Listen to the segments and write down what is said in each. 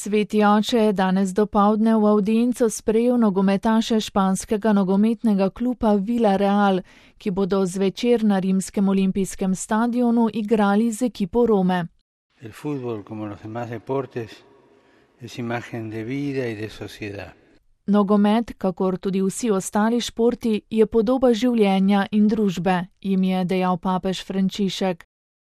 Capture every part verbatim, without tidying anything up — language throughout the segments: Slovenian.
Sveti oče je danes dopoldne v avdienco sprejel nogometaše španskega nogometnega kluba Villarreal, ki bodo zvečer na rimskem olimpijskem stadionu igrali z ekipo Rome. El fútbol, como los demás deportes, es imagen de vida y de sociedad. Nogomet, kakor tudi vsi ostali športi, je podoba življenja in družbe, jim je dejal papež Frančišek.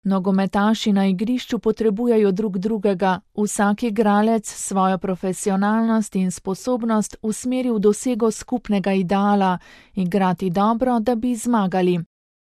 Nogometaši na igrišču potrebujejo drug drugega, vsak igralec svojo profesionalnost in sposobnost usmeri v dosego skupnega ideala, igrati dobro, da bi zmagali.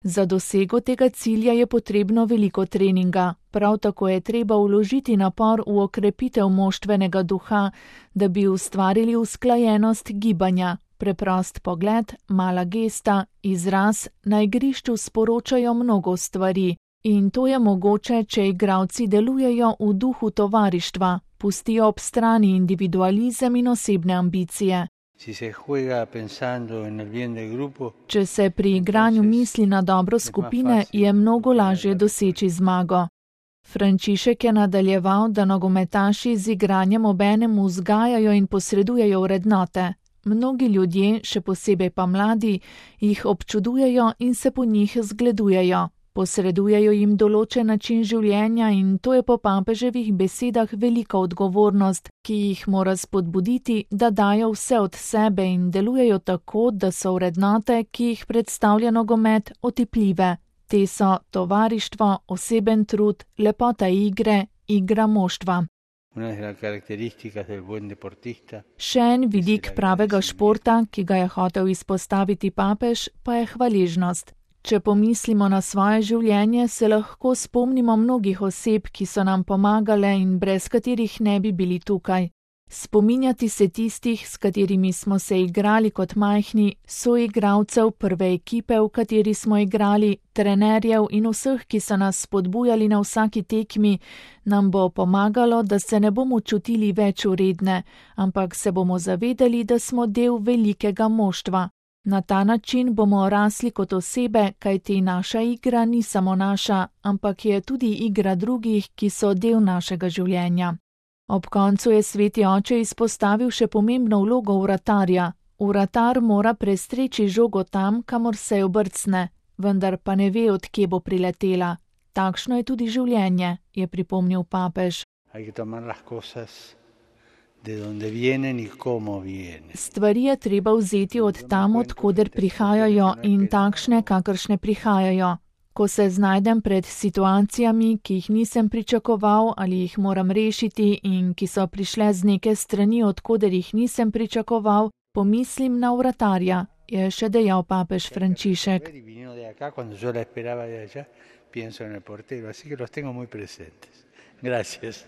Za dosego tega cilja je potrebno veliko treninga, prav tako je treba vložiti napor v okrepitev moštvenega duha, da bi ustvarili usklajenost gibanja. Preprost pogled, mala gesta, izraz na igrišču sporočajo mnogo stvari. In to je mogoče, če igralci delujejo v duhu tovarištva, pustijo ob strani individualizem in osebne ambicije. Si se juega pensando en el bien del grupo, Če se pri igranju misli na dobro skupine, je mnogo lažje doseči zmago. Frančišek je nadaljeval, da nogometaši z igranjem obenem vzgajajo in posredujejo vrednote. Mnogi ljudje, še posebej pa mladi, jih občudujejo in se po njih zgledujejo. Posredujejo jim določen način življenja in to je po papeževih besedah velika odgovornost, ki jih mora spodbuditi, da dajo vse od sebe in delujejo tako, da so vrednote, ki jih predstavlja nogomet, otipljive. Te so tovarištvo, oseben trud, lepota igre, igra moštva. una de las características del buen deportista. Še en vidik pravega športa, ki ga je hotel izpostaviti papež, pa je hvaležnost. Če pomislimo na svoje življenje, se lahko spomnimo mnogih oseb, ki so nam pomagale in brez katerih ne bi bili tukaj. Spominjati se tistih, s katerimi smo se igrali kot majhni, soigralcev prve ekipe, v kateri smo igrali, trenerjev in vseh, ki so nas spodbujali na vsaki tekmi, nam bo pomagalo, da se ne bomo čutili več vredne, ampak se bomo zavedali, da smo del velikega moštva. Na ta način bomo rasli kot osebe, kajti naša igra ni samo naša, ampak je tudi igra drugih, ki so del našega življenja. Ob koncu je sveti oče izpostavil še pomembno vlogo vratarja. Vratar mora prestreči žogo tam, kamor se jo brcne, vendar pa ne ve, od kje bo priletela. Takšno je tudi življenje, je pripomnil papež. Hay que tomar las cosas de donde vienen y cómo vienen. Stvari je treba vzeti od tam, od koder prihajajo in takšne, kakršne prihajajo. Ko se znajdem pred situacijami, ki jih nisem pričakoval ali jih moram rešiti in ki so prišle z neke strani, od koder jih nisem pričakoval, pomislim na vratarja, je še dejal papež Frančišek. Pienso en el portero, así que los tengo muy presentes. Gracias.